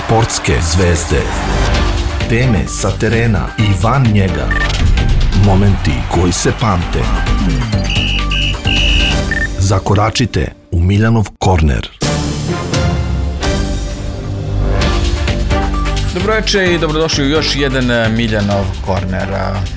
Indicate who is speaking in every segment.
Speaker 1: Sportske zvezde. Teme sa terena i van njega. Momenti koji se pamte. Zakoračite u Miljanov korner.
Speaker 2: Dobroveče i dobrodošli u još jedan Miljanov korner.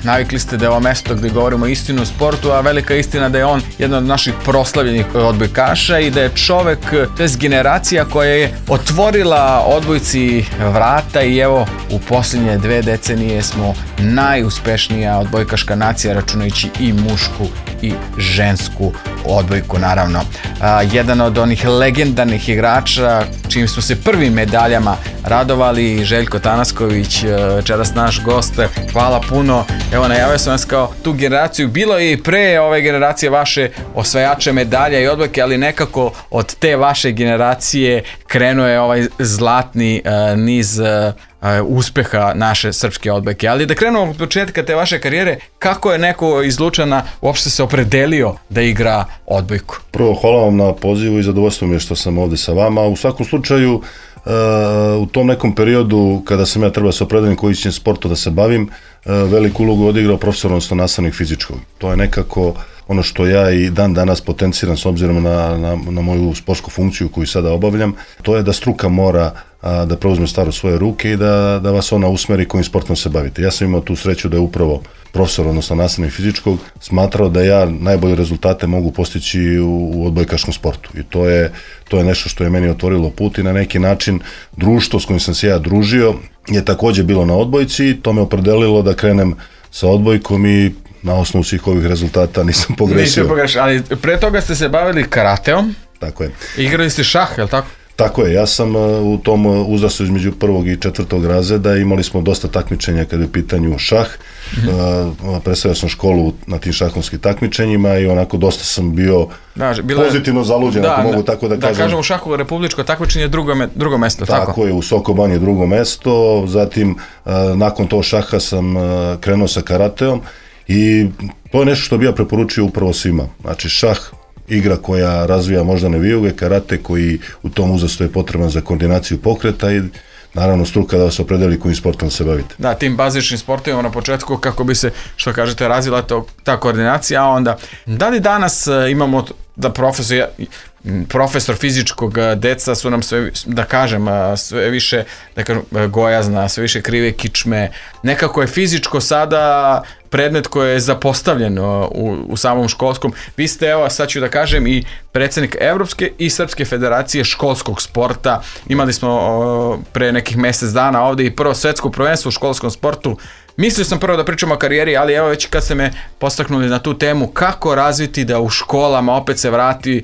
Speaker 2: Navikli ste da je ovo mesto gdje govorimo istinu o sportu, a velika istina da je on jedan od naših proslavljenih odbojkaša i da je čovek, to je generacija koja je otvorila odbojci vrata i evo u posljednje 2 decenije smo najuspešnija odbojkaška nacija, računajući i mušku i žensku odbojku naravno. Jedan od onih legendarnih igrača čim smo se prvim medaljama radovali, Željko Tanasković, večeras naš gost. Hvala puno. Evo, najavio sam vas kao tu generaciju. Bilo je i pre ove generacije vaše osvajače medalja i odbojke, ali nekako od te vaše generacije krenuo je ovaj zlatni niz uspeha naše srpske odbojke. Ali da krenemo od početka te vaše karijere, kako je neko iz Lučana uopšte se opredelio da igra odbojku?
Speaker 3: Prvo, hvala vam na pozivu i zadovoljstvo mi je što sam ovdje sa vama. U svakom slučaju, u tom nekom periodu kada sam ja trebao se opredelim koji će sportu da se bavim, veliku ulogu odigrao profesor, odnosno nastavnik fizičkog. To je nekako ono što ja i dan danas potenciram s obzirom na moju sportsku funkciju koju sada obavljam. To je da struka mora da preuzme stvar u svoje ruke i da vas ona usmeri kojim sportom se bavite. Ja sam imao tu sreću da je upravo profesor, odnosno nastavnik fizičkog, smatrao da ja najbolje rezultate mogu postići u odbojkaškom sportu. I to je nešto što je meni otvorilo put i na neki način društvo s kojim sam se ja družio je također bilo na odbojci. To me opredelilo da krenem sa odbojkom i na osnovu svih ovih rezultata nisam pogrešio.
Speaker 2: Ali pre toga ste se bavili karateom.
Speaker 3: Tako je.
Speaker 2: Igrali ste šah, je li tako?
Speaker 3: Tako je, ja sam u tom uzrastu između 1. i 4. razreda, imali smo dosta takmičenja kada je u pitanju šah. Predstavljao sam školu na tim šahovskim takmičenjima i onako dosta sam bio pozitivno zaluđen, ako mogu tako da kažem.
Speaker 2: Da kažem, u šahu republičko takmičenje je drugo mesto, tako?
Speaker 3: Tako je, u Sokobanji drugo mesto, zatim nakon tog šaha sam krenuo sa karateom i to je nešto što bi ja preporučio upravo svima. Znači šah, igra koja razvija moždane vijuge, karate koji u tom uzrastu je potreban za koordinaciju pokreta i naravno struka da vas opredeli kojim sportom se bavite. Da,
Speaker 2: tim bazičnim sportovima na početku kako bi se, što kažete, razvila ta koordinacija, a onda da li danas imamo da profesor fizičkog, deca su nam sve, da kažem, sve više gojazna, sve više krive kičme, nekako je fizičko sada predmet koji je zapostavljen u samom školskom. Vi ste, evo, sad ću da kažem, i predsjednik Evropske i Srpske federacije školskog sporta. Imali smo pre nekih mjesec dana ovdje i prvo svetsko prvenstvo u školskom sportu. Mislio sam prvo da pričamo o karijeri, ali evo već kad ste me postaknuli na tu temu, kako razviti da u školama opet se vrati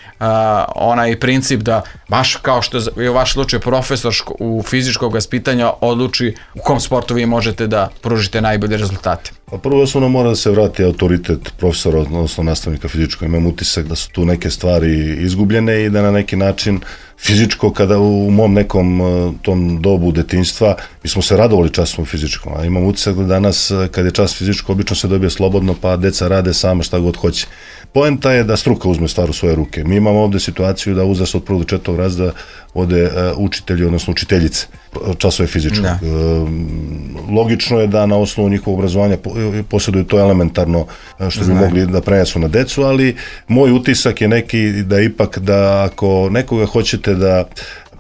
Speaker 2: onaj princip da, baš kao što je u vaš slučaj profesor u fizičkog vaspitanja odluči u kom sportu vi možete da pružite najbolje rezultate.
Speaker 3: Pa prvo osnovno mora da se vrati autoritet profesora, odnosno nastavnika fizičkog. Imam utisak da su tu neke stvari izgubljene i da na neki način fizičko, kada u mom nekom tom dobu detinjstva, mi smo se radovali časom fizičkom, a imam utisak da danas kad je čas fizičko obično se dobije slobodno pa deca rade sama šta god hoće. Poenta je da struka uzme stvar u svoje ruke. Mi imamo ovdje situaciju da uzrast od 1. do 4. razreda ode učitelji, odnosno učiteljice časove fizičkog. Logično je da na osnovu njihovog obrazovanja posjeduju to elementarno što bi mogli da prenesu na decu, ali moj utisak je neki da ipak da ako nekoga hoćete da,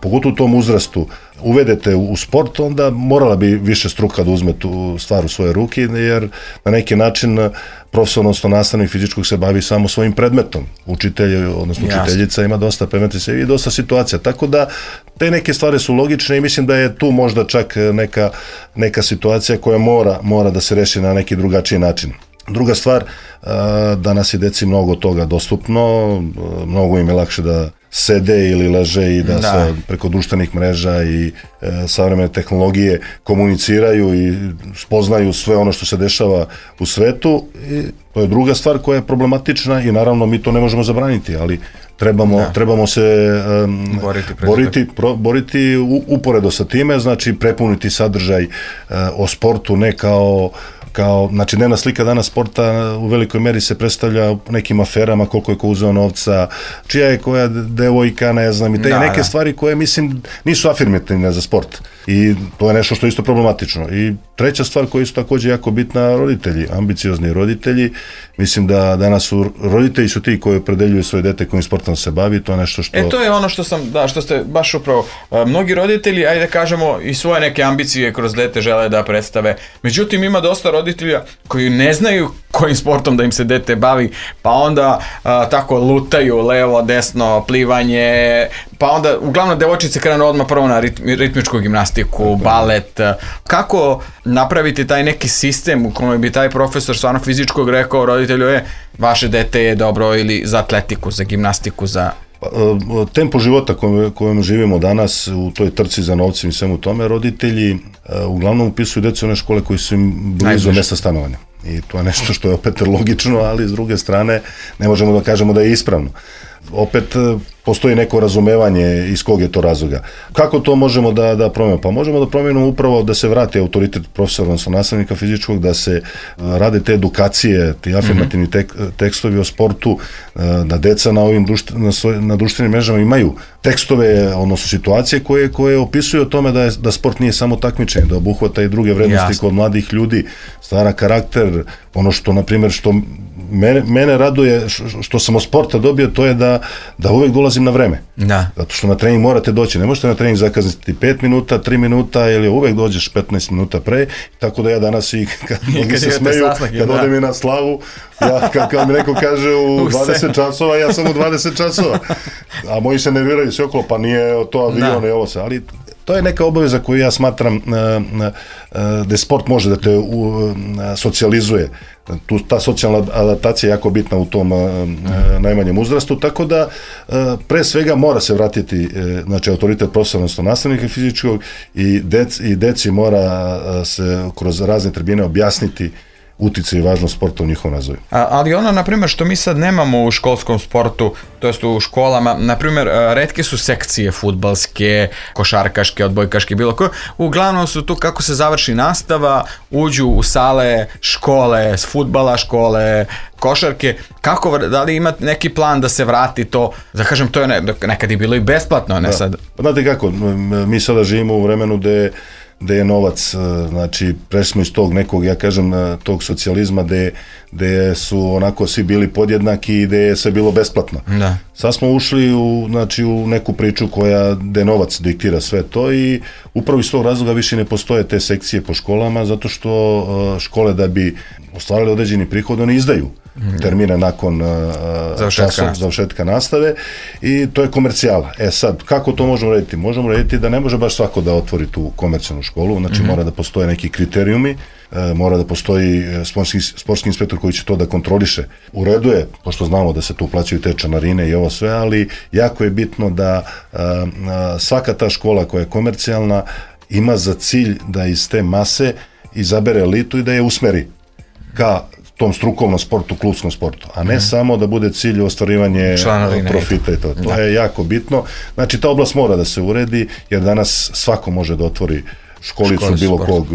Speaker 3: pogotovo u tom uzrastu, uvedete u sport, onda morala bi više struka da uzme tu stvar u svoje ruke, jer na neki način profesor, odnosno nastavnik fizičkog se bavi samo svojim predmetom. Učitelj, odnosno učiteljica ima dosta predmeta i dosta situacija. Tako da te neke stvari su logične i mislim da je tu možda čak neka situacija koja mora da se reši na neki drugačiji način. Druga stvar, danas je deci mnogo toga dostupno, mnogo im je lakše da sede ili leže i da se preko društvenih mreža i savremene tehnologije komuniciraju i spoznaju sve ono što se dešava u svetu. I to je druga stvar koja je problematična i naravno mi to ne možemo zabraniti, ali trebamo se boriti uporedo sa time, znači prepuniti sadržaj o sportu ne kao kao, znači dnevna slika danas sporta u velikoj meri se predstavlja nekim aferama, koliko je ko uzeo novca, čija je koja devojka, ne znam, i te neke stvari koje, mislim, nisu afirmativne za sport. I to je nešto što je isto problematično. I treća stvar koja je isto također jako bitna, roditelji, ambiciozni roditelji. Mislim da danas su roditelji su ti koji opredeljuju svoje dete kojim sportom se bavi, to je nešto što...
Speaker 2: To je ono što ste baš upravo, mnogi roditelji, ajde da kažemo, i svoje neke ambicije kroz dete žele da predstave. Međutim, ima dosta roditelja koji ne znaju kojim sportom da im se dete bavi, pa onda tako lutaju levo, desno, plivanje, pa onda uglavnom devojčice krenu odmah prvo na ritmičku gimnastiku, balet. Kako napraviti taj neki sistem u kojem bi taj profesor stvarno fizičkog rekao roditelju, vaše dete je dobro ili za atletiku, za gimnastiku, za...
Speaker 3: Tempo života kojem živimo danas u toj trci za novcem i svemu tome, roditelji uglavnom upisuju djecu u one škole koji su im blizu mjesta stanovanja. I to je nešto što je opet logično, ali s druge strane ne možemo da kažemo da je ispravno. Opet postoji neko razumevanje iz kog je to razloga. Kako to možemo da promijenimo? Pa možemo da promijenimo upravo da se vrati autoritet profesora, odnosno nastavnika fizičkog, da se rade te edukacije, ti afirmativni tekstovi o sportu, da deca na ovim na društvenim mrežama imaju tekstove, odnosno situacije koje opisuju o tome da sport nije samo takmičenje, da obuhvata i druge vrednosti kod mladih ljudi, stvara karakter, ono što, na primjer, što mene raduje, što sam od sporta dobio, to je da uvek dolazim na vreme. Zato što na trening morate doći, ne možete na trening zakazati 5 minuta, 3 minuta ili uvek dođeš 15 minuta pre, tako da ja danas i kad se smeju, kad odem i na slavu, ja kad mi neko kaže u 20 časova, ja sam u 20 časova, a moji se nerviraju sve okolo, pa nije to avion i ovo se, ali to je neka obaveza koju ja smatram da sport može da te socijalizuje. Ta socijalna adaptacija je jako bitna u tom najmanjem uzrastu, tako da pre svega mora se vratiti autoritet profesora, odnosno nastavnika fizičkog i deci mora se kroz razne tribine objasniti uticaj i važnost sporta u njihovom razvoju.
Speaker 2: Ali ono, na primjer, što mi sad nemamo u školskom sportu, to jest u školama, na primjer, retke su sekcije fudbalske, košarkaške, odbojkaške, bilo koje. Uglavnom su tu kako se završi nastava, uđu u sale škole, s fudbala škole, košarke. Kako, da li ima neki plan da se vrati to, da kažem, to je nekad je bilo i besplatno, ne sad?
Speaker 3: Znate kako, mi sada živimo u vremenu gde je novac, znači prešli smo iz tog nekog, ja kažem, tog socijalizma gde su onako svi bili podjednaki i gde je sve bilo besplatno. Sad smo ušli u neku priču gde novac diktira sve to i upravo iz tog razloga više ne postoje te sekcije po školama, zato što škole da bi ostvarili određeni prihod, oni izdaju termine nakon završetka nastave i to je komercijala. Sad, kako to možemo raditi? Možemo raditi da ne može baš svako da otvori tu komercijalnu školu, znači mora da postoje neki kriterijumi, mora da postoji sportski inspektor koji će to da kontroliše. U redu je, pošto znamo da se tu plaćaju te članarine i ovo sve, ali jako je bitno da svaka ta škola koja je komercijalna ima za cilj da iz te mase izabere elitu i da je usmeri ka tom strukovnom sportu, klubskom sportu, a ne samo da bude cilj ostvarivanje profita i to. To je jako bitno. Znači, ta oblast mora da se uredi, jer danas svako može da otvori školicu bilo kog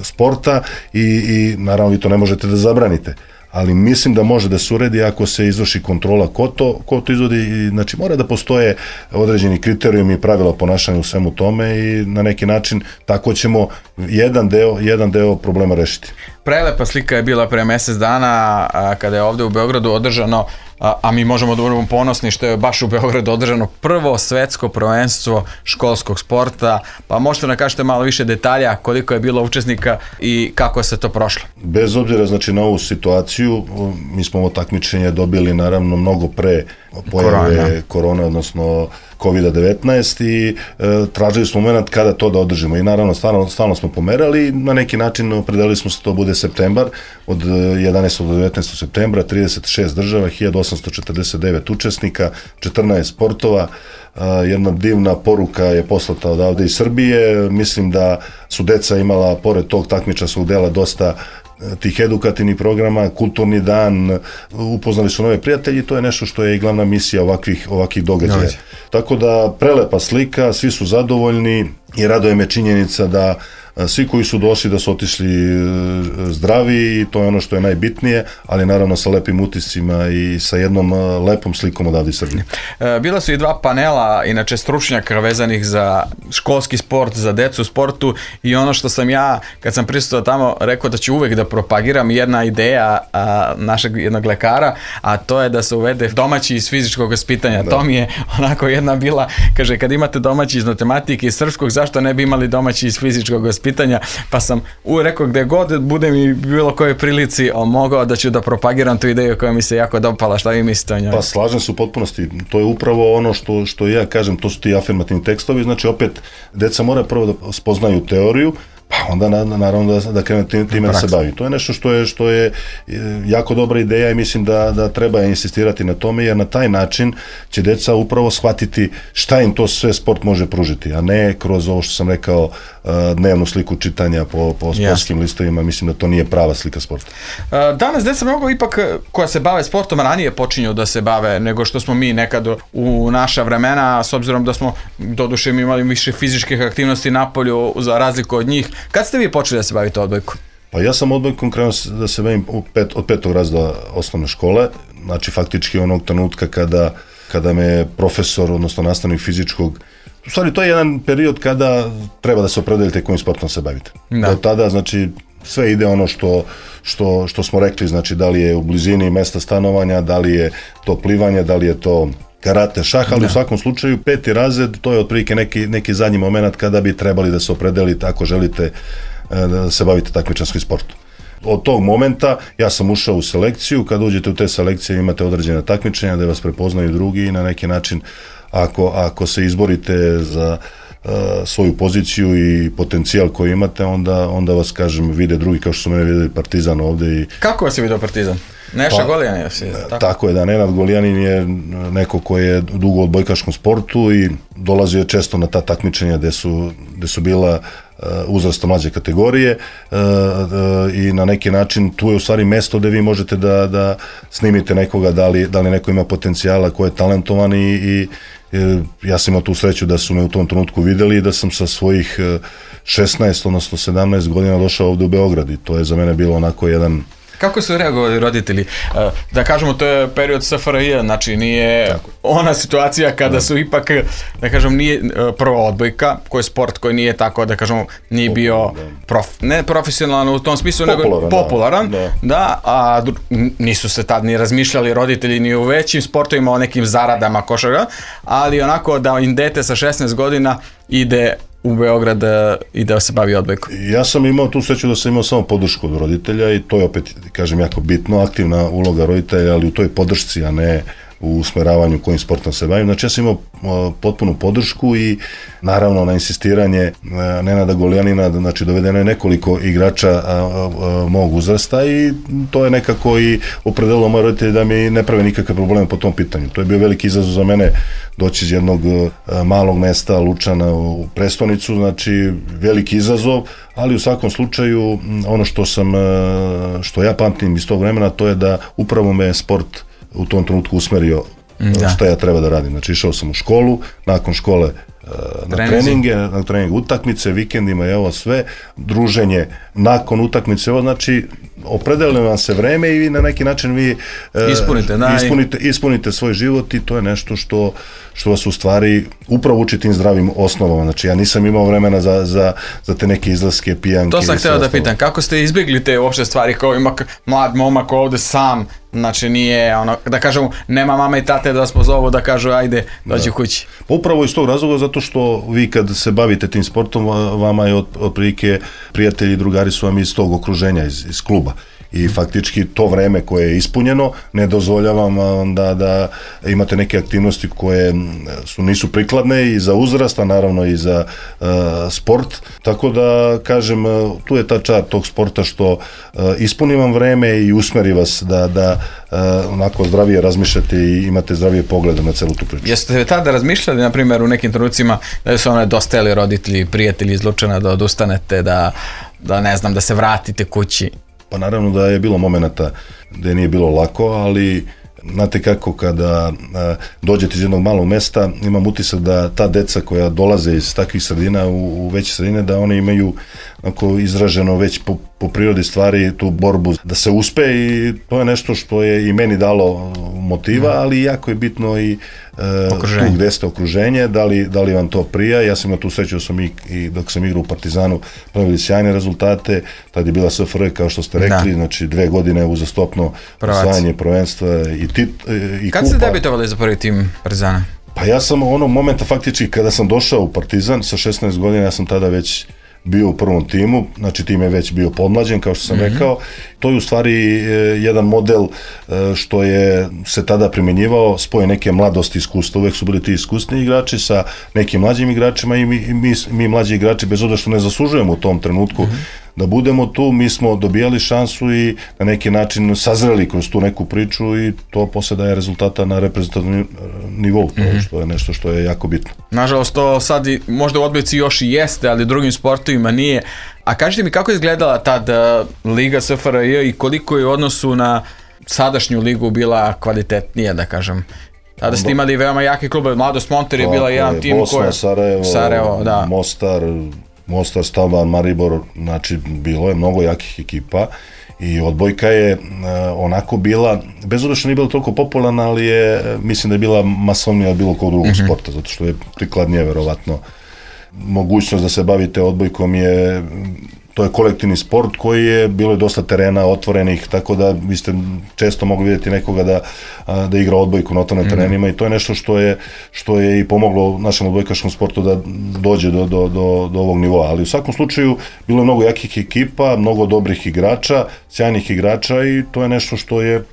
Speaker 3: sporta i naravno vi to ne možete da zabranite. Ali mislim da može da se uredi ako se izvrši kontrola ko to izvodi. Znači, mora da postoje određeni kriterijumi i pravila ponašanja u svemu tome i na neki način tako ćemo jedan deo problema rešiti.
Speaker 2: Prelepa slika je bila pre mjesec dana kada je ovdje u Beogradu održano, a mi možemo da budemo ponosni što je baš u Beogradu održano prvo svetsko prvenstvo školskog sporta, pa možete nam kažete malo više detalja koliko je bilo učesnika i kako je se to prošlo.
Speaker 3: Bez obzira na ovu situaciju, mi smo ovo takmičenje dobili naravno mnogo pre pojave korone, odnosno COVID-19 i tražili smo moment kada to da održimo i naravno stalno smo pomerali i na neki način opredelili smo se to bude septembar, od 11. do 19. septembra, 36 država, 1849 učesnika, 14 sportova, jedna divna poruka je poslata odavde iz Srbije, mislim da su deca imala pored tog takmičarskog dela dosta tih edukativnih programa, kulturni dan, upoznali su nove prijatelji, to je nešto što je i glavna misija ovakvih događaja. Tako da prelepa slika, svi su zadovoljni, i raduje me činjenica da svi koji su došli da su otišli zdravi i to je ono što je najbitnije, ali naravno sa lepim utiscima i sa jednom lepom slikom odavde iz Srbije.
Speaker 2: Bila su i 2 panela, inače stručnjaka vezanih za školski sport, za decu u sportu i ono što sam ja, kad sam prisustvovao tamo, rekao da ću uvek da propagiram jedna ideja našeg jednog lekara, a to je da se uvede domaći iz fizičkog vaspitanja. To mi je onako jedna bila, kaže, kad imate domaći iz matematike i srpskog, zašto ne bi imali domaći iz fizičkog vaspitanja? Pa sam rekao gde god budem i bilo kojoj prilici mogao da ću da propagiram tu ideju koja mi se jako dopala. Šta vi mislite o njoj?
Speaker 3: Pa slažem se u potpunosti. To je upravo ono što ja kažem, to su ti afirmativni tekstovi, znači opet deca mora prvo da spoznaju teoriju, pa onda naravno da krenu time da se bavi. To je nešto što je jako dobra ideja i mislim da treba insistirati na tome, jer na taj način će deca upravo shvatiti šta im to sve sport može pružiti, a ne kroz ovo što sam rekao dnevnu sliku čitanja po sportskim listovima. Mislim da to nije prava slika sporta.
Speaker 2: Danas deca mnogo ipak koja se bave sportom ranije počinju da se bave nego što smo mi nekad u naša vremena, s obzirom da smo doduše imali više fizičkih aktivnosti napolju za razliku od njih. Kad ste vi počeli da se bavite odbojkom?
Speaker 3: Pa ja sam odbojkom krenuo da se bavim od 5. razreda osnovne škole, znači faktički onog trenutka kada me profesor, odnosno nastavnik fizičkog, u stvari to je jedan period kada treba da se opredelite kojim sportom se bavite. Do tada, znači, sve ide ono što smo rekli, znači da li je u blizini mesta stanovanja, da li je to plivanje, da li je to karate, šah, ali u svakom slučaju 5. razred, to je otprilike neki zadnji moment kada bi trebali da se opredelite ako želite da se bavite takmičarskim sportom. Od tog momenta ja sam ušao u selekciju, kada uđete u te selekcije imate određene takmičenja da vas prepoznaju drugi i na neki način ako se izborite za svoju poziciju i potencijal koji imate, onda vas, kažem, vide drugi, kao što su mene videli Partizan ovde.
Speaker 2: Kako vas je vidio Partizan? Neša Golijanin.
Speaker 3: Tako je, da, Nenad Golijanin je neko koji je dugo u odbojkaškom sportu i dolazio je često na ta takmičenja gde su bila uzrasta mlađe kategorije i na neki način tu je u stvari mesto gde vi možete da snimite nekoga, da li neko ima potencijala, ko je talentovan i ja sam imao tu sreću da su me u tom trenutku videli i da sam sa svojih 16, odnosno 17 godina došao ovde u Beograd i to je za mene bilo onako jedan...
Speaker 2: Kako su reagovali roditelji? Da kažemo, to je period SFRJ, znači nije ona situacija kada su ipak, da kažem, nije prva odbojka, koji je sport koji nije tako, da kažemo, nije bio ne profesionalan u tom smislu, nego popularan, a nisu se tad ni razmišljali roditelji ni u većim sportovima o nekim zaradama košarka, ali onako da im dete sa 16 godina ide u Beograd i da se bavi odbojkom.
Speaker 3: Ja sam imao tu sreću da sam imao samo podršku od roditelja i to je opet, kažem, jako bitno, aktivna uloga roditelja, ali u toj podršci, a ne u usmeravanju kojim sportom se bavim. Znači ja sam imao potpunu podršku i naravno na insistiranje Nenada Golijanina, znači dovedeno je nekoliko igrača mog uzrasta i to je nekako i opredelilo moje roditelje da mi ne prave nikakve probleme po tom pitanju. To je bio veliki izazov za mene doći iz jednog malog mesta Lučana u prestonicu, znači veliki izazov, ali u svakom slučaju ono što ja pamtim iz tog vremena, to je da upravo me sport u tom trenutku usmerio šta ja treba da radim. Znači išao sam u školu, nakon škole na treninge, utakmice, vikendima, evo sve, druženje nakon utakmice, evo znači opredelilo vam se vreme i na neki način vi ispunite svoj život i to je nešto što vas u stvari upravo uči tim zdravim osnovama. Znači ja nisam imao vremena za te neke izlaske, pijanke.
Speaker 2: To sam hteo da pitam, kako ste izbjegli te uopšte stvari kao ima mlad momak ovde sam, znači nije ono, da kažemo, nema mama i tate da vas pozovu da kažu ajde dođi kući.
Speaker 3: Upravo iz tog razloga zato što vi kad se bavite tim sportom, vama je otprilike prijatelji i drugari su vam iz tog okruženja, iz kluba. I faktički to vreme koje je ispunjeno ne dozvoljava vam da imate neke aktivnosti koje nisu prikladne i za uzrast, a naravno i za sport. Tako da, kažem, tu je ta čar tog sporta što ispuni vam vreme i usmeri vas da onako zdravije razmišljate i imate zdravije poglede na celu tu priču.
Speaker 2: Jeste tada razmišljali, na primjer, u nekim trenucima da su dostajali roditelji, prijatelji iz Lučana da odustanete, da ne znam, da se vratite kući?
Speaker 3: Pa naravno da je bilo momenata gde nije bilo lako, ali Znate kako, kada dođete iz jednog malog mesta, imam utisak da ta deca koja dolaze iz takvih sredina u veće sredine, da one imaju izraženo već po prirodi stvari tu borbu da se uspe, i to je nešto što je i meni dalo motiva, ali jako je bitno i tu gde ste okruženje, da li vam to prija. Ja sam imao tu sreću da sam i dok sam igrao u Partizanu pravili sjajne rezultate, tad je bila SFRJ kao što ste rekli, znači 2 godine uzastopno osvajanje prvenstva i kupa.
Speaker 2: Kad ste debitovali za prvi tim Partizana?
Speaker 3: Pa ja sam onog momenta faktički kada sam došao u Partizan sa 16 godina, ja sam tada već bio u prvom timu, znači tim je već bio podmlađen, kao što sam rekao. To je u stvari jedan model što je se tada primjenjivao, spoje neke mladosti, iskustva, uvek su bili ti iskusni igrači sa nekim mlađim igračima, i mi mlađi igrači, bez obzira što ne zaslužujemo u tom trenutku da budemo tu, mi smo dobijali šansu i na neki način sazreli kroz tu neku priču, i to posle daje rezultata na reprezentativnom nivou, što je nešto što je jako bitno.
Speaker 2: Nažalost, to sad možda u odbojci još i jeste, ali drugim sportovima nije. A kažite mi, kako je izgledala tad Liga SFRJ i koliko je u odnosu na sadašnju ligu bila kvalitetnija, da kažem? Tada ste imali veoma jake klube, Mladost Monter je bila jedan tim koji...
Speaker 3: Bosna, Sarajevo, da. Mostar, Stalban, Maribor, znači bilo je mnogo jakih ekipa, i odbojka je onako bila, bez obzira što nije bila toliko popularna, ali mislim da je bila masovnija od bilo kog drugog sporta, zato što je prikladnije verovatno. Mogućnost da se bavite odbojkom to je kolektivni sport koji je, bilo je dosta terena otvorenih, tako da vi ste često mogli vidjeti nekoga da igra odbojku na otvorenim terenima, i to je nešto što je i pomoglo našem odbojkaškom sportu da dođe do ovog nivoa. Ali u svakom slučaju bilo je mnogo jakih ekipa, mnogo dobrih igrača, sjajnih igrača, i to je nešto što je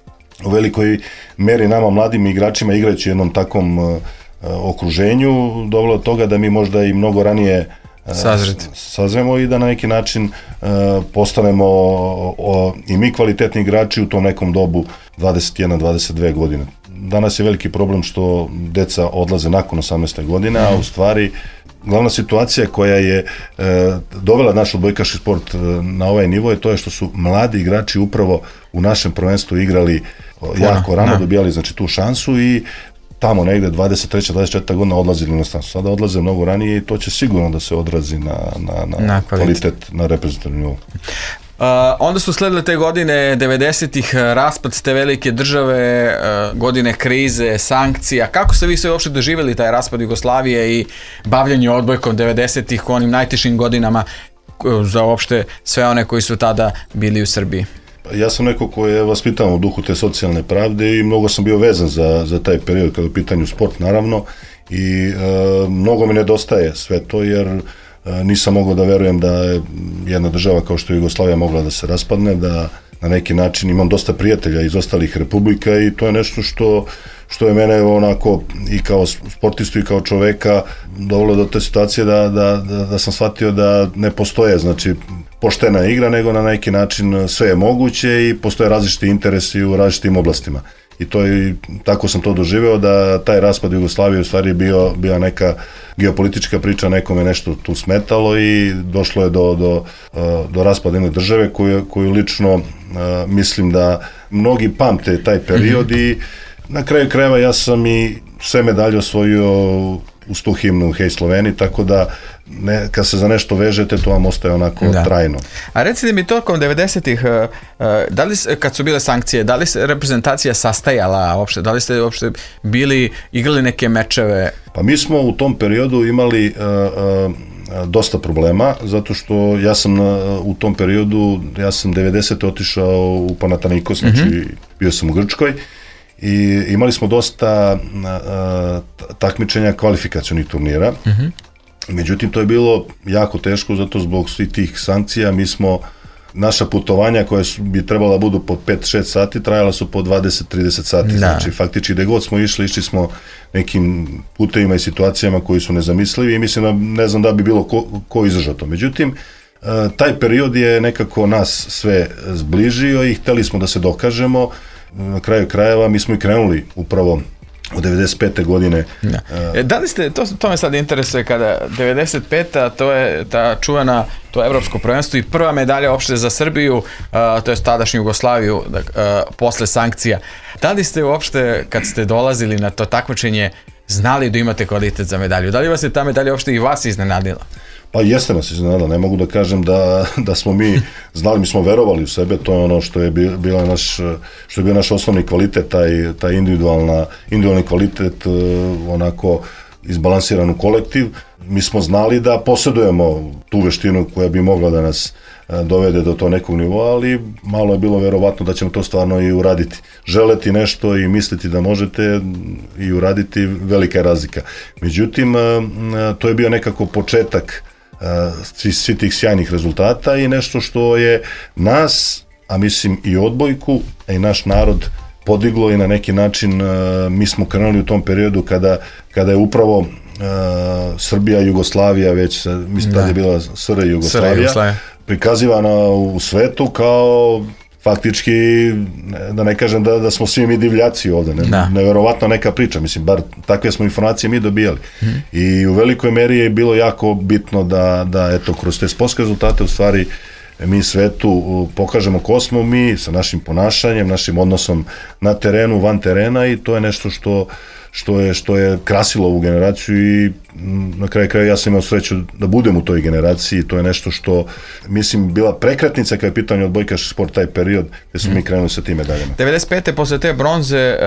Speaker 3: u velikoj meri nama mladim igračima, igrajući u jednom takvom okruženju, dovelo od toga da mi možda i mnogo ranije sazremo i da na neki način postanemo i mi kvalitetni igrači u tom nekom dobu 21-22 godine. Danas je veliki problem što deca odlaze nakon 18. godine, a u stvari glavna situacija koja je dovela naš odbojkaški sport na ovaj nivo je to što su mladi igrači upravo u našem prvenstvu igrali jako rano, dobijali znači tu šansu, i tamo negde 23. 24. godina odlazili na inostranstvo. Sada odlaze mnogo ranije, i to će sigurno da se odrazi na kvalitet, na reprezentativnom nivou.
Speaker 2: Onda su sledile te godine 90-ih, raspad te velike države, godine krize, sankcija. Kako ste vi sve uopšte doživjeli taj raspad Jugoslavije i bavljanje odbojkom 90-ih u onim najtežim godinama za uopšte sve one koji su tada bili u Srbiji?
Speaker 3: Ja sam neko ko je vaspitan u duhu te socijalne pravde, i mnogo sam bio vezan za taj period kada je u pitanju sport, naravno, i mnogo mi nedostaje sve to, jer nisam mogao da verujem da je jedna država kao što je Jugoslavija mogla da se raspadne, da na neki način imam dosta prijatelja iz ostalih republika, i to je nešto što je mene onako i kao sportistu i kao čoveka dovelo do te situacije da sam shvatio da ne postoje, znači, poštena igra, nego na neki način sve je moguće i postoje različiti interesi u različitim oblastima. I tako sam to doživeo, da taj raspad Jugoslavije u stvari bio neka geopolitička priča, nekome nešto tu smetalo, i došlo je do raspada jedne države koju lično mislim da mnogi pamte taj period, i na kraju krajeva ja sam i sve medalje osvojio uz tu himnu Hej Sloveni, tako da kad se za nešto vežete, to vam ostaje onako trajno.
Speaker 2: A recite mi, tokom 90-ih, da li, kad su bile sankcije, da li se reprezentacija sastajala uopšte, da li ste uopšte igrali neke mečeve?
Speaker 3: Pa mi smo u tom periodu imali dosta problema, zato što ja sam u tom periodu, ja sam 90. otišao u Panathinaikos, znači bio sam u Grčkoj, i imali smo dosta takmičenja kvalifikacionih turnira. Međutim, to je bilo jako teško, zato zbog svih tih sankcija naša putovanja koja bi trebala budu po 5-6 sati, trajala su po 20-30 sati. Znači, faktički gde god smo išli smo nekim putevima i situacijama koji su nezamislivi, i mislim da ne znam da bi bilo ko izdržao to. Međutim, taj period je nekako nas sve zbližio i hteli smo da se dokažemo. Na kraju krajeva mi smo i krenuli upravo od 95. godine.
Speaker 2: Da li ste, to me sad interesuje, kada 95. to je ta čuvena, to je evropsko prvenstvo i prva medalja uopšte za Srbiju, to je tadašnju Jugoslaviju, posle sankcija. Da li ste uopšte, kad ste dolazili na to takmičenje, znali da imate kvalitet za medalju? Da li vas je ta medalja uopšte i vas iznenadila?
Speaker 3: Pa jeste nas iznenadila, ne mogu da kažem da smo mi znali, mi smo verovali u sebe, to je ono što je bio naš osnovni kvalitet, taj individualni kvalitet, onako izbalansiran u kolektiv. Mi smo znali da posjedujemo tu veštinu koja bi mogla da nas dovede do to nekog nivoa, ali malo je bilo verovatno da ćemo to stvarno i uraditi. Želeti nešto i misliti da možete i uraditi, velika je razlika. Međutim, to je bio nekako početak svi tih sjajnih rezultata i nešto što je nas, a mislim i odbojku, a i naš narod podiglo i na neki način mi smo krenuli u tom periodu kada je upravo Srbija i Jugoslavija, već mislim da je bila SR Jugoslavija, prikazivana u svetu kao faktički, da ne kažem da smo svi mi divljaci ovde, neverovatna neka priča, mislim, bar takve smo informacije mi dobijali. I u velikoj meri je bilo jako bitno da eto, kroz te sportske rezultate u stvari mi svetu pokažemo ko smo mi sa našim ponašanjem, našim odnosom na terenu, van terena i to je nešto što je krasilo ovu generaciju i na kraju kraja ja sam imao sreću da budem u toj generaciji, to je nešto što mislim bila prekretnica kada je pitanje odbojkaški sport taj period gde smo mi krenuli sa tim medaljama.
Speaker 2: 95. posle te bronze,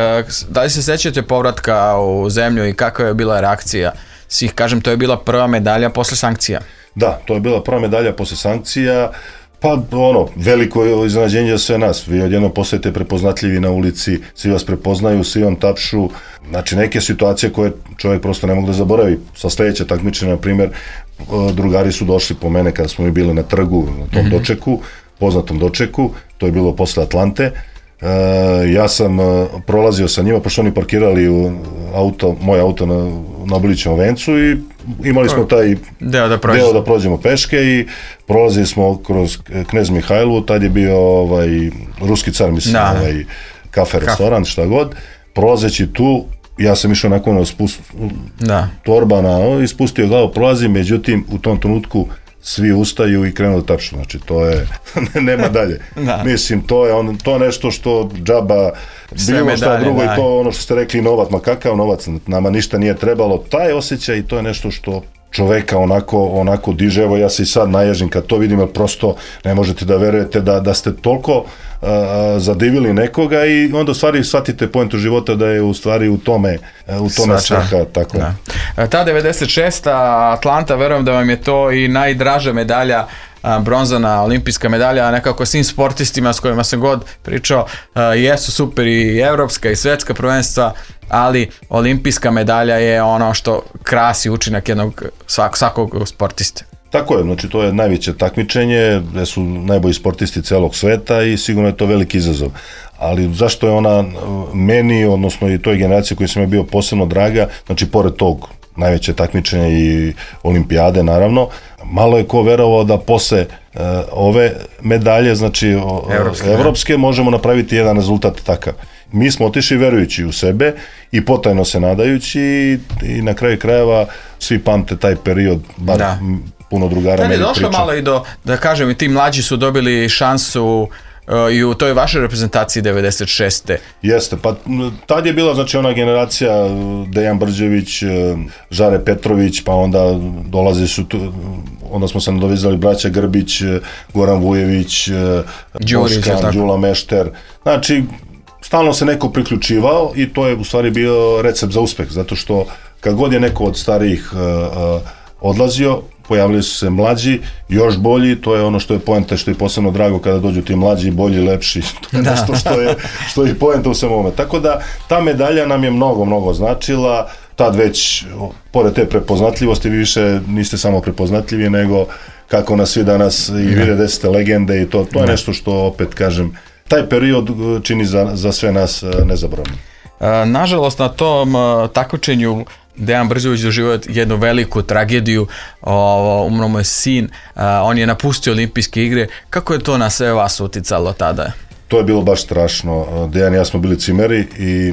Speaker 2: da li se sećate povratka u zemlju i kakva je bila reakcija svih? Kažem, to je bila prva medalja posle sankcija.
Speaker 3: Da, to je bila prva medalja posle sankcija. Pa veliko iznenađenje za sve nas. Vi odjedno postajete prepoznatljivi na ulici, svi vas prepoznaju, svi vam tapšu. Znači neke situacije koje čovjek prosto ne mogu da zaboravi. Sa sledeće takmičenja, na primjer, drugari su došli po mene kada smo mi bili na trgu, na tom dočeku, poznatom dočeku, to je bilo posle Atlante. Ja sam prolazio sa njima, pošto oni parkirali moj auto na Obilićevom vencu i imali smo taj deo da prođemo peške i prolazili smo kroz Knez Mihajlovu, tad je bio ruski car, mislim, kafe, restoran, šta god. Prolazeći tu, ja sam išao nakon torba ispustio glavu, prolazim, međutim u tom trenutku svi ustaju i krenu da tapšu, znači to je, nema dalje. Mislim, to je nešto što džaba, bilo šta drugo i to ono što ste rekli, novac, ma kakav novac, nama ništa nije trebalo, taj osjećaj i to je nešto što čoveka onako diže, evo ja se i sad naježim kad to vidim, jer prosto ne možete da verujete da ste toliko zadivili nekoga i onda u stvari shvatite poentu života da je u stvari u tome svrha, tako je.
Speaker 2: Ta 96. Atlanta, verujem da vam je to i najdraža medalja, bronzana olimpijska medalja, nekako svim sportistima s kojima sam god pričao, jesu super i evropska i svetska prvenstva, ali olimpijska medalja je ono što krasi učinak svakog sportiste.
Speaker 3: Tako je, znači to je najveće takmičenje, gde su najbolji sportisti celog sveta i sigurno je to veliki izazov. Ali zašto je ona meni, odnosno i toj generaciji koji sam je bio posebno draga, znači pored tog najveće takmičenja i olimpijade naravno, malo je ko verovao da posle ove medalje, znači evropske, možemo napraviti jedan rezultat takav. Mi smo otišli verujući u sebe i potajno se nadajući i na kraju krajeva svi pamte taj period, bar puno drugara meni priča.
Speaker 2: Došlo malo i da kažem, i ti mlađi su dobili šansu i u toj vašoj reprezentaciji 96.
Speaker 3: Jeste, pa tad je bila znači ona generacija Dejan Brđević, Žare Petrović, pa onda dolazi su tu, onda smo se nadovezali braća Grbić, Goran Vujević, Boškan, Đula Mešter, znači stalno se neko priključivao i to je u stvari bio recept za uspeh, zato što kad god je neko od starijih odlazio, pojavili su se mlađi, još bolji, to je ono što je poenta, što je posebno drago kada dođu ti mlađi, bolji, lepši, to je nešto što je poenta u svemu ovome. Tako da ta medalja nam je mnogo značila, tad već, pored te prepoznatljivosti, vi više niste samo prepoznatljivi, nego kako nas svi danas i vide da ste legende i to je nešto što, opet kažem, taj period čini za sve nas nezaboravno.
Speaker 2: Nažalost, na tom takmičenju Dejan Brđević doživio jednu veliku tragediju, umro mu je sin, on je napustio olimpijske igre. Kako je to na sve vas uticalo tada?
Speaker 3: To je bilo baš strašno. Dejan i ja smo bili cimeri i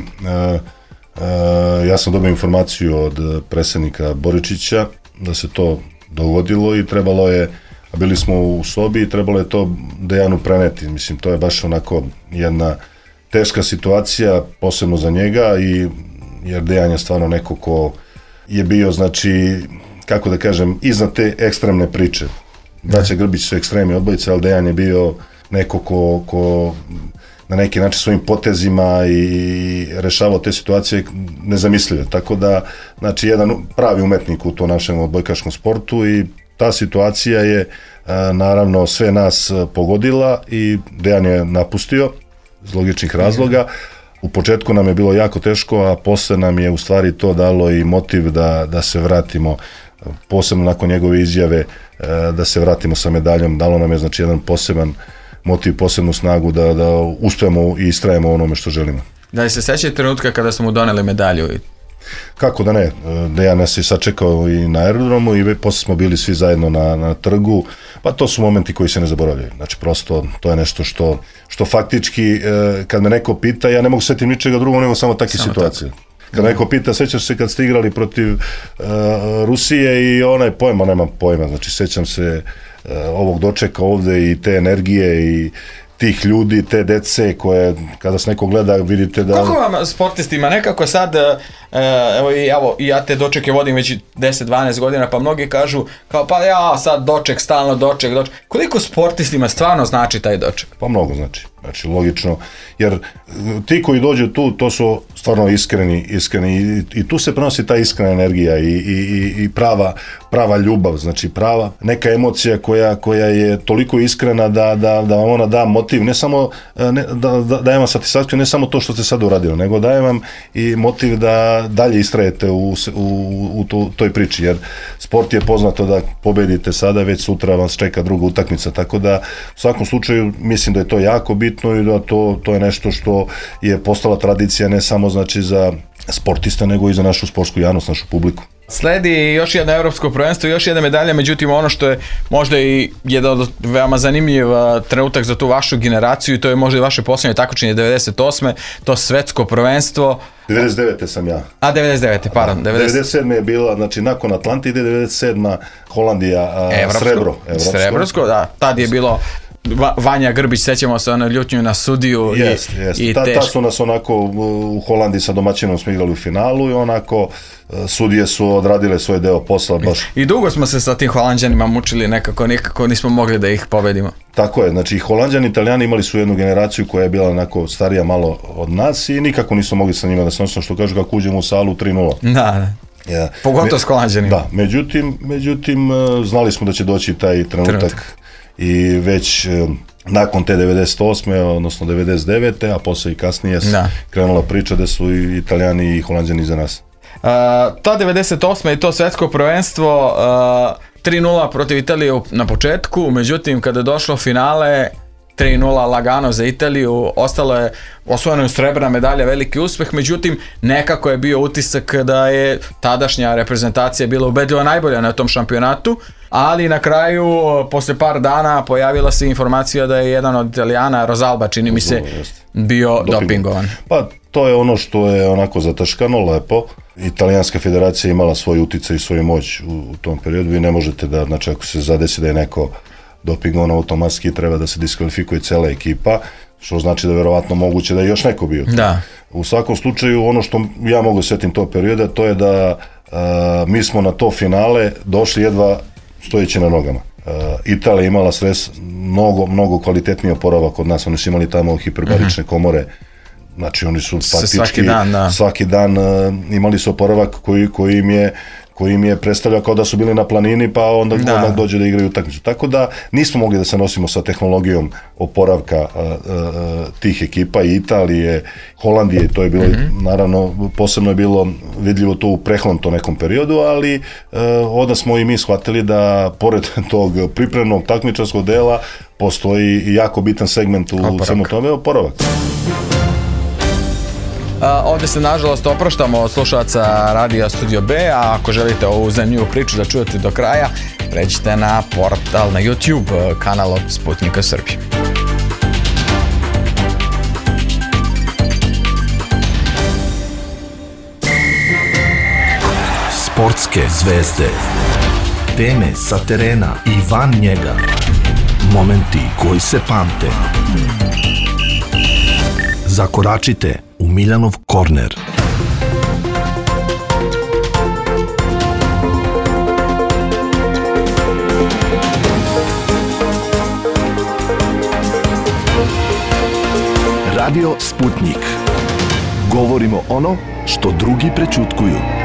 Speaker 3: Ja sam dobio informaciju od predsjednika Boričića da se to dogodilo i trebalo je, a bili smo u sobi i trebalo je to Dejanu preneti. Mislim, to je baš onako jedna teška situacija, posebno za njega, jer Dejan je stvarno neko ko je bio, znači, kako da kažem, iznad te ekstremne priče. Braća Grbić su ekstremni odbojice, ali Dejan je bio neko ko na neki način svojim potezima i rešavao te situacije nezamislive. Tako da, znači, jedan pravi umetnik u tom našem odbojkaškom sportu i ta situacija je naravno sve nas pogodila i Dejan je napustio iz logičnih razloga. U početku nam je bilo jako teško, a posle nam je u stvari to dalo i motiv da se vratimo, posebno nakon njegove izjave, da se vratimo sa medaljom. Dalo nam je, znači, jedan poseban motiv, posebnu snagu da uspemo i istrajemo u onome što želimo.
Speaker 2: Da li se sećate trenutka kada smo mu doneli medalju?
Speaker 3: Kako da ne, Dejan nas je sačekao i na aerodromu i posle smo bili svi zajedno na trgu, pa to su momenti koji se ne zaboravljaju. Znači, prosto to je nešto što faktički, kad me neko pita, ja ne mogu setiti ničega drugog nego samo takve situacije. Kad neko pita, sećaš se kad ste igrali protiv Rusije i onaj pojma, nemam pojma, znači sećam se ovog dočeka ovde i te energije i tih ljudi, te dece koje kada se neko gleda vidite da...
Speaker 2: Koliko vam sportistima nekako sad, evo i ja te dočeke vodim već 10-12 godina, pa mnogi kažu kao pa ja sad doček, stalno doček. Koliko sportistima stvarno znači taj doček?
Speaker 3: Pa mnogo znači. Znači, logično, jer ti koji dođu tu, to su stvarno iskreni i tu se prenosi ta iskrena energija i prava ljubav, znači prava neka emocija koja je toliko iskrena da vam ona da motiv, ne samo da daje vam satisfakciju, ne samo to što ste sad uradili, nego daje vam i motiv da dalje istrajete u toj priči, jer sport je poznato da pobedite sada, već sutra vas čeka druga utakmica, tako da u svakom slučaju mislim da je to jako bitno i da to je nešto što je postala tradicija ne samo, znači, za sportista, nego i za našu sportsku javnost, našu publiku.
Speaker 2: Sledi još jedno evropsko prvenstvo, još jedna medalja, međutim ono što je možda i jedan od veoma zanimljiv trenutak za tu vašu generaciju i to je možda i vaše posljednje takmičenje 98. To svetsko prvenstvo.
Speaker 3: 99. sam ja.
Speaker 2: 99. pardon.
Speaker 3: 97. je bila, znači nakon Atlantide, 97. Holandija,
Speaker 2: Srebrovsko, da, tad je bilo Vanja Grbić, sećamo se ono ljutnju na sudiju.
Speaker 3: I ta su nas onako u Holandiji sa domaćinom smo igrali u finalu i onako sudije su odradile svoj deo posla baš.
Speaker 2: I dugo smo se sa tim Holanđanima mučili, nekako nismo mogli da ih pobedimo.
Speaker 3: Tako je, znači i Holanđani i Italijani imali su jednu generaciju koja je bila onako starija malo od nas i nikako nismo mogli sa njima da se nosimo, što kažu kako uđemo u salu 3-0.
Speaker 2: Da.
Speaker 3: Ja.
Speaker 2: Pogotovo s Holanđanima.
Speaker 3: Da, međutim znali smo da će doći taj trenutak. I već nakon te 98. odnosno 99. a posle i kasnije krenula priča da su i Italijani i Holanđani za nas.
Speaker 2: Ta 98. i to svetsko prvenstvo 3-0 protiv Italije na početku, međutim kada je došlo finale 3-0 lagano za Italiju, ostalo je osvojena srebrna medalja, veliki uspeh, međutim nekako je bio utisak da je tadašnja reprezentacija bila ubedljivo najbolja na tom šampionatu, ali na kraju, posle par dana, pojavila se informacija da je jedan od Italijana, Rosalba, čini mi se, bio dopingovan.
Speaker 3: Pa to je ono što je onako zataškano, lepo. Italijanska federacija imala svoj uticaj i svoju moć u tom periodu. Vi ne možete da, znači ako se zadesi da je neko dopingovan, automatski treba da se diskvalifikuje cela ekipa, što znači da je verovatno moguće da je još neko bio.
Speaker 2: Da.
Speaker 3: U svakom slučaju, ono što ja mogu setim tog perioda, to je da mi smo na to finale došli jedva stojeći na nogama. Italija imala mnogo kvalitetniji oporavak od nas, oni su imali tamo hiperbarične komore, znači oni su faktički svaki dan imali su oporavak koji im je predstavljao kao da su bili na planini, pa onda odmah dođe da igraju utakmicu. Tako da nismo mogli da se nosimo sa tehnologijom oporavka tih ekipa i Italije, Holandije, to je bilo, naravno, posebno je bilo vidljivo to u prehlom nekom periodu, ali onda smo i mi shvatili da pored tog pripremnog takmičarskog dela postoji jako bitan segment u svemu tome, oporavak.
Speaker 2: Ovdje se nažalost opraštamo od slušalaca Radija Studio B, a ako želite ovu zanimljivu priču da čujete do kraja, pređite na portal, na YouTube kanal od Sputnika Srbije.
Speaker 1: Sportske zvezde. Teme sa terena i van njega. Momenti koji se pamte. Zakoračite u Miljanov korner. Radio Sputnik. Govorimo ono što drugi prećutkuju.